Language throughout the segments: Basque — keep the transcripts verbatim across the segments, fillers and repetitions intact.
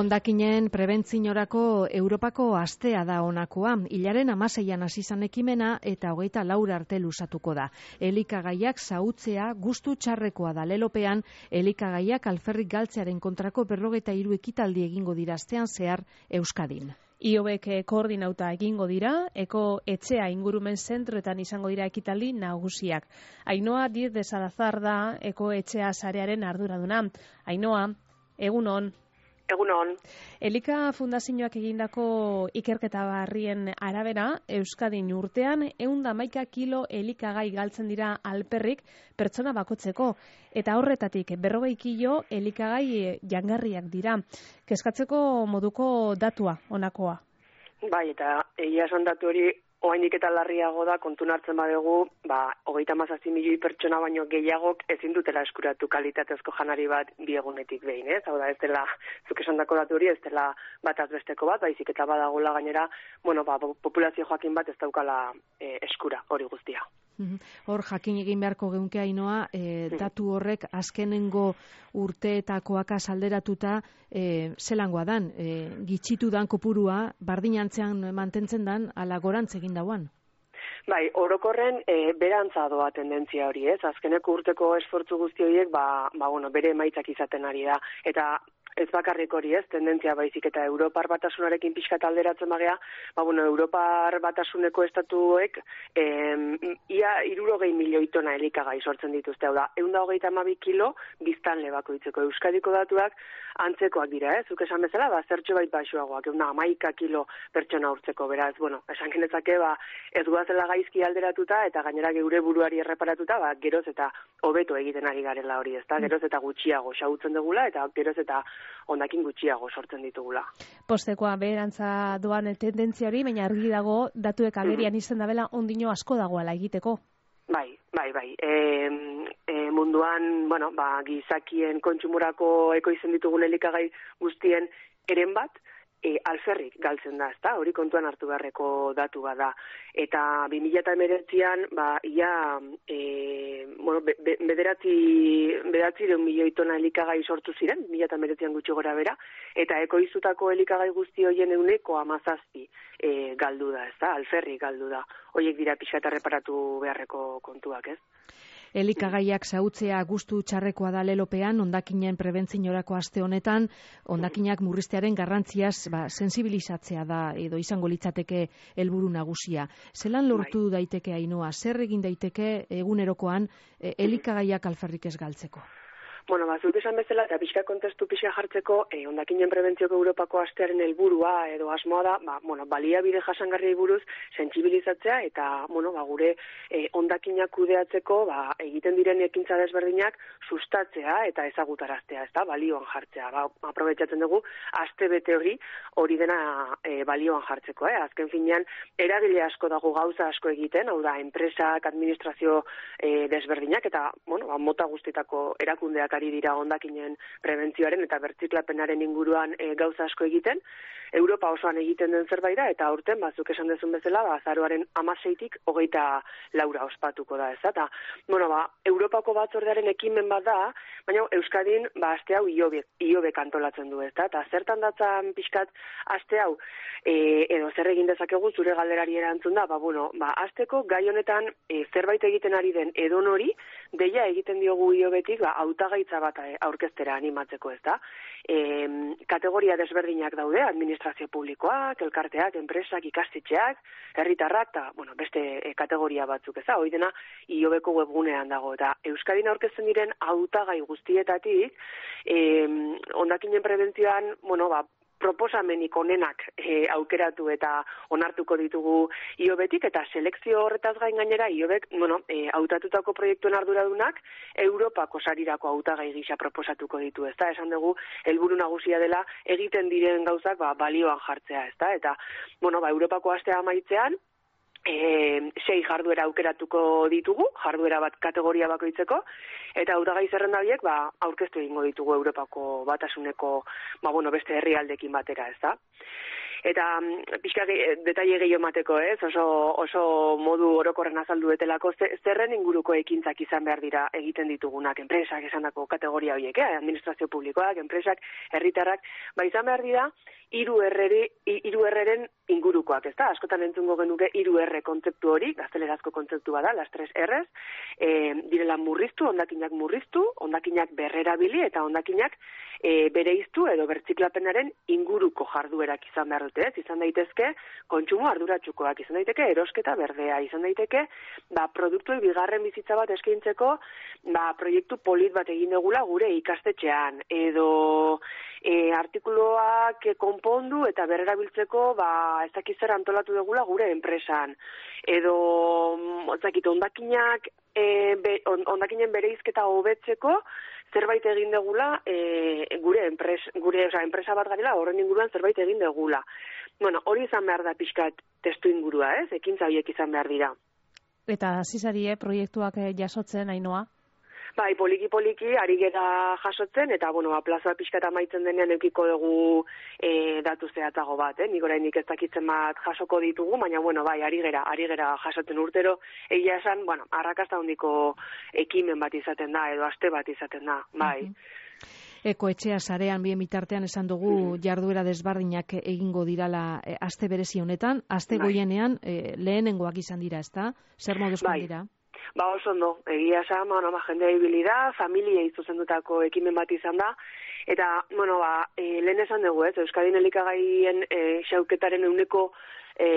Hondakinen prebentziorako Europako astea da honakoa. Hilaren hamaseian hasi izan ekimena eta hogeita lau arte luzatuko da. Elikagaiak xahutzea gustu txarrekoa da. Lelopean elikagaiak alferrik galtzearen kontrako berrogeita hiru ekitaldi egingo dira astean zehar Euskadin. Iobek koordinauta egingo dira, Eko etxea ingurumen zentroetan izango dira ekitaldi nagusiak. Ainhoa Diez de Salazar da Eko etxea sarearen arduraduna. Ainhoa, egunon. Egunon. Elika Fundazioak egindako ikerketa barrien arabera, Euskadin urtean ehun eta hamaika kilo elikagai galtzen dira alperrik pertsona bakotzeko, eta horretatik berrogei kilo elikagai jangarriak dira. Kezkatzeko moduko datua honakoa. Bai, eta egia esan datu hori oraindik eta larriago da, kontun hartzen badegu, ba, hogeita hamazazpi milioi pertsona baino gehiagok ezin dutela eskuratu kalitatezko janari bat bi egunetik behin, ez? Hau da, ez dela, zuk esandako datu hori, ez dela bataz besteko bat, baizik eta badagola gainera, bueno, ba, populazio joakin bat ez daukala e, eskura hori guztia. Hor, jakin egin beharko geunke Ainhoa, e, datu horrek azkenengo urteetakoak alderatuta e, zelangoa dan, e, gitxitu dan kopurua, bardinantzean mantentzen dan, ala gorantz egin dauan. Bai, orokorren e, berantza doa tendentzia hori, ez? Azkeneko urteko esfortzu guzti horiek, ba, ba, bueno, bere emaitzak izaten ari da, eta ez bakarrik hori, ez, tendentzia baizik eta Europar Batasunarekin pixkat alderatzen bagea, ba, bueno, Europar Batasuneko estatuek em, ia hirurogei milioi tona elikagai sortzen dituzte, hau da, ehun eta hogeita hamabi kilo biztanle bakoitzeko. Euskadiko datuak antzekoak dira, ez, zuk esan bezala, ba, zertxo bait baxuagoak, ehun eta hamaika kilo pertsona urtzeko, beraz, bueno, esan genezake, ba, ez guazela gaizki alderatuta, eta gainera geure buruari erreparatuta, ba, geroz eta hobeto egiten ari garela hori, ez da, geroz eta gutxiago xahutzen dugula, eta geroz eta hondakin gutxiago sortzen ditugula. Postekoa beherantza doan tendentzia hori, baina argi dago datuek agerian izan dabela ondino asko dagoela egiteko. Bai, bai, bai. E, e, munduan, bueno, ba, gizakien kontsumorako ekoizten ditugun elikagai guztien eren bat, E, alferrik galtzen da, ezta? Hori kontuan hartu beharreko datu bat da. Eta bi mila hemeretzian, ba, ia, e, bueno, be, be, bederatzi, bederatzi deun milioi tona elikagai sortu ziren, bi mila hemeretzian gutxi gora bera, eta ekoiztutako elikagai guzti horien euneko hamazazpi e, galdu da, ezta? Alferrik galdu da. Horiek dira pixka eta reparatu beharreko kontuak, ez? Elikagaiak xahutzea gustu txarrekoa da lelopean, hondakinen prebentziorako aste honetan, hondakinak murriztearen garrantziaz ba, sensibilizatzea da edo izango litzateke helburu nagusia. Zelan lortu bai. daiteke Ainhoa, zer egin daiteke egunerokoan e, elikagaiak alferrik ez galtzeko? Bueno, bazut esan bezala, eta pixka kontestu pixka jartzeko, eh, hondakinen prebentzioko Europako astearen helburua edo asmoa da, ba, bueno, baliabide jasangarriei buruz sentsibilizatzea eta, bueno, ba, gure eh, hondakinak kudeatzeko, ba, egiten diren ekintza desberdinak sustatzea eta ezagutaraztea, ezta, balioan jartzea. Ba, aprobetxatzen dugu aste bete hori, hori dena eh, balioan jartzeko, eh? Azken finean eragile asko dago gauza asko egiten, hau da, enpresak, administrazio eh, desberdinak eta, bueno, ba, mota guztietako erakundeak ari dira hondakinen prebentzioaren eta bertziklapenaren inguruan e, gauza asko egiten. Europa osoan egiten den zerbait da, eta aurten, bazuk esan dezun bezala, ba, azaroaren hamaseitik hogeita laura ospatuko da, ez da. Bueno, ba, Europako batzordearen ekimen bat da, baina Euskadin, ba, aste hau iobek, iobek antolatzen du, ez da, eta zertan datzan pixkat aste hau, e, edo zer egin dezakegu zure galderari erantzun da, ba, bueno, ba, asteko gai honetan e, zerbait egiten ari den edonori, deia egiten diogu iobetik, ba, hautagaitza bat aurkeztera animatzeko, ez da. E, kategoria desberdinak daude, administrazio publikoak, elkarteak, enpresak, ikastetxeak, herritarrak, eta, bueno, beste e, kategoria batzuk, ez da, hori dena iobeko webgunean dago, eta Euskadin aurkezten diren hautagai guztietatik, e, hondakinen prebentzioan, bueno, ba, proposamenik onenak e, aukeratu eta onartuko ditugu iobetik, eta selekzio horretaz gain gainera iobek, bueno, e, hautatutako proiektuen arduradunak Europako sarirako hautagai gisa proposatuko ditu, ezta? Esan dugu helburu nagusia dela egiten diren gauzak ba, balioan jartzea, ezta? Eta, bueno, ba, Europako astea amaitzean, E, sei jarduera aukeratuko ditugu, jarduera bat kategoria bakoitzeko, eta hautagai zerrenda horiek ba, aurkeztu egingo ditugu Europako batasuneko ba, bueno, beste herrialdekin batera, ez da? Eta pixka detaile gehiago mateko, ez? Oso, oso modu orokorren azaldu betelako zerren inguruko ekintzak izan behar dira egiten ditugunak, enpresak esandako kategoria horiek, eh? Administrazio publikoak, enpresak, herritarrak, ba izan behar dira hiru erreren ingurukoak, ezta? Askotan entzungo genuke hiru erre kontzeptu hori, gaztelerazko kontzeptu bada, las tres erres, e, direla murriztu, hondakinak murriztu, hondakinak berrerabili eta hondakinak e, bereiztu edo bertziklapenaren inguruko jarduerak izan behar dute, ez? Izan daitezke kontsumo arduratsukoak, izan daiteke erosketa berdea, izan daiteke ba, produktui bigarren bizitza bat eskaintzeko ba, proiektu polit bat egin dugula gure ikastetxean, edo e, artikuluak konpondu eta berrerabiltzeko ba, ez dakiz zer antolatu dugula gure enpresan, edo otzakit, ondakinak e, be, on, ondakinen bereizketa hobetzeko zerbait egin degula e, gure, enpres, gure oza, enpresa bat garela horren inguruan zerbait egin degula. Bueno, hori izan behar da pixkat testu ingurua, ez? Ekintza horiek izan behar dira. Eta zizarie proiektuak jasotzen, Ainhoa? Bai, poliki-poliki, ari gera jasotzen, eta, bueno, plaza pixkat amaitzen denean eukiko dugu e, datu zehatzago bat, eh? Nik orainik ez dakitzen bat jasoko ditugu, baina, bueno, bai, ari gera, ari gera jasotzen urtero, egia esan, bueno, arrakasta handiko ekimen bat izaten da, edo aste bat izaten da, bai. Uh-huh. Ekoetxea sarean bien bitartean esan dugu jarduera desbardinak egingo dirala e, aste berezi honetan, aste bai. Goienean e, lehenengoak izan dira, ezta? Zer moduzkoan bai. dira? Ba oso ondo, egia esan, bueno, ba, jendea ibili da, familia izuzendutako ekimen bat izan da, eta, bueno, ba, e, lehen esan dugu, ez, Euskadin elikagaien e, xauketaren euneko e,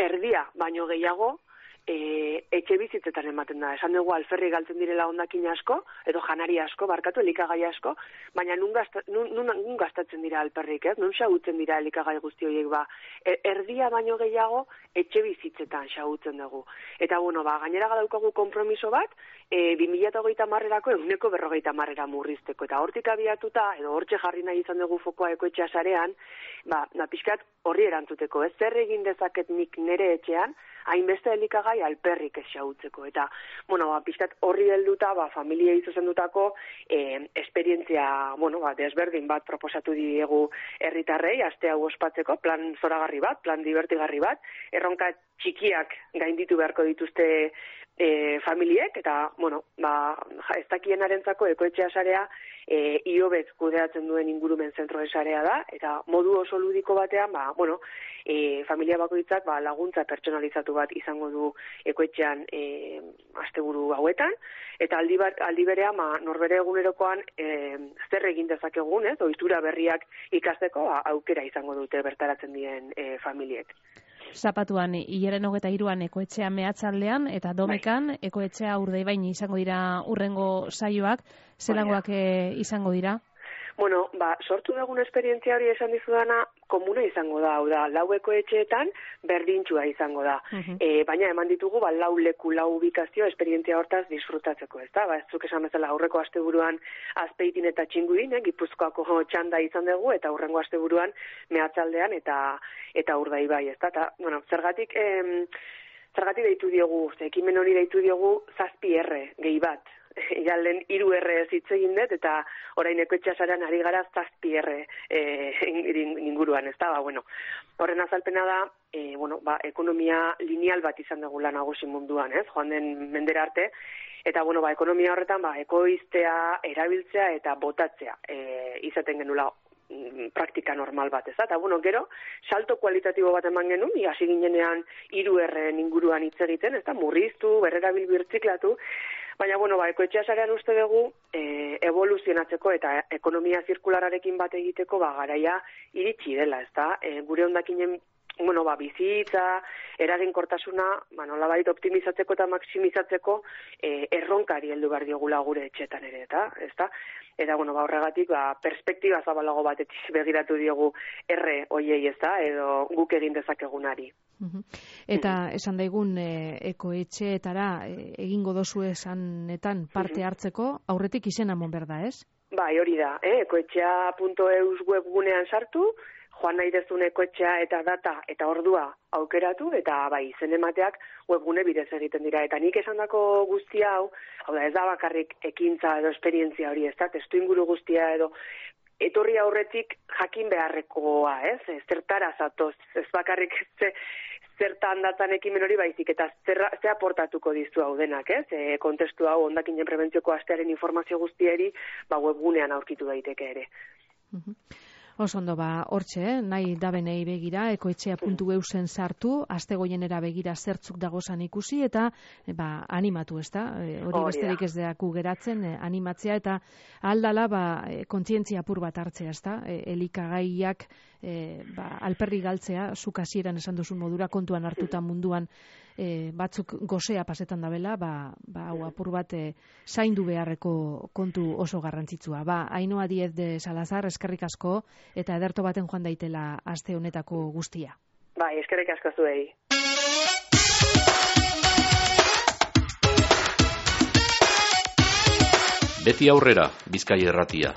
erdia, baino gehiago, E, etxe bizitzetan ematen da. Esan dugu alferri galtzen direla hondakin asko, edo janari asko, barkatu elikagai asko, baina nun, gazta, nun, nun, nun gastatzen dira alperrik, ez? Nun xagutzen dira elikagai guzti horiek, ba. E, erdia baino gehiago etxe bizitzetan xagutzen dugu. Eta, bueno, ba, gainera gadaukagu konpromiso bat, e, bi mila hogeita hamarerako eguneko berrogeita hamarera murrizteko. Eta hortik abiatuta, edo hortxe jarri nahi izan dugu fokoa ekoetxea sarean, ba, na, pixkat horri erantzuteko, ez? Zer egin dezaket nik nere etxean, hainbeste elikagai alperrik ez xahutzeko. Eta, bueno, ba, pixkat horri helduta, ba, familia izuzendutako eh, esperientzia, bueno, ba, desberdin bat proposatu diegu herritarrei, aste hau ospatzeko, plan zoragarri bat, plan divertigarri bat, erronka txikiak gainditu beharko dituzte e, familiek, eta, bueno, ba, ez dakienarentzako ekoetxea sarea e, iobet kudeatzen duen ingurumen zentroen sarea da, eta modu oso ludiko batean, ba, bueno, e, familia bakoitzak ba, laguntza pertsonalizatu bat izango du ekoetxean e, asteburu hauetan, eta aldi, bat, aldi berean, ba, norbere egunerokoan e, zer egin dezakegun, ez, ohitura berriak ikasteko ba, aukera izango dute bertaratzen diren e, familiek. Zapatuan, hilaren hogeta hiruan ekoetxea mehatzaldean, eta domekan bai. Ekoetxea Urdaibain izango dira urrengo saioak, zelangoak e, izango dira? Bueno, ba, sortu dugun esperientzia hori esan dizudana, komuna izango da, hau da, lau ekoetxeetan berdintxua izango da. Uh-huh. E, baina eman ditugu, ba, lau leku, lau ubikazio esperientzia hortaz disfrutatzeko, ez da? Ba, ez zuk esan bezala aurreko asteburuan Azpeitin eta Txingudin, eh, Gipuzkoako txanda izan dugu, eta hurrengo asteburuan mehatzaldean eta eta Urdaibai, ez da? Ta, bueno, zergatik, em, zergatik deitu diogu, ekimen hori deitu diogu zazpi erre, gehi bat. Ja, lehen hiru erre ez hitz egin dut, eta orain ekoetxea sarean ari gara zazpi erre e, inguruan, ez da, ba, bueno. Horren azalpena da, e, bueno, ba, ekonomia lineal bat izan dugula nagusi munduan, ez, joan den mendera arte, eta, bueno, ba, ekonomia horretan, ba, ekoiztea, erabiltzea eta botatzea e, izaten genula praktika normal bat, ez da? Eta, bueno, gero, salto kualitatibo bat eman genuen, hasi ginenean hiru erren inguruan hitz egiten, ez da? Murriztu, berrerabil birtziklatu, baina, bueno, ba, ekoetxea sarean uste dugu e, evoluzionatzeko eta ekonomia zirkulararekin bat egiteko, ba, garaia iritsi dela, ez da? E, gure hondakinen, bueno, ba, bizitza, eraginkortasuna, ba, nolabait optimizatzeko eta maximizatzeko e, erronkari heldu behar diogula gure etxetan ere, eta, ez da? Eta, bueno, ba, horregatik, ba, perspektiba zabalago batetik begiratu diogu erre hoiei, ez da, edo guk egin dezakegunari. Uh-huh. Eta esan daigun e, ekoetxeetara e, egingo dozu esanetan parte hartzeko, aurretik izena mon berda, ez? Bai, hori da, eh? ekoetxea puntu eus webgunean sartu, joan nahi dezun ekoetxea eta data eta ordua aukeratu, eta bai, izen emateak webgune bidez egiten dira. Eta nik esandako guztia hau, hau da, ez da bakarrik ekintza edo esperientzia hori, ez da, testu inguru guztia edo etorri aurretik jakin beharrekoa, ez? Zertara zatoz, ez bakarrik ze, zertan datzan ekimen hori baizik, eta zer, ze aportatuko dizu hau denak, ez? E, kontestu hau hondakinen prebentzioko astearen informazio guztieri, ba, webgunean aurkitu daiteke ere. Mhm. Oso ondo, ba, hortxe, eh? Nahi dabenei begira, ekoetxea puntu eusen sartu, aste goienera begira zertzuk dagozan ikusi, eta ba, animatu, ez da? E, hori besterik ez deaku geratzen, e, animatzea, eta aldala, ba, e, kontzientzia apur bat hartzea, ez da? E, elikagaiak, e, ba, alperri galtzea, zuk hasieran esan duzun modura, kontuan hartuta munduan, e, batzuk gozea pasetan dabela, ba, ba, hau apur bat e, zaindu beharreko kontu oso garrantzitsua. Ba, Ainhoa Diez de Salazar, eskerrik asko, eta ederto baten joan daitela aste honetako guztia. Bai, eskerrik asko zuei. Beti aurrera, Bizkaia Irratia.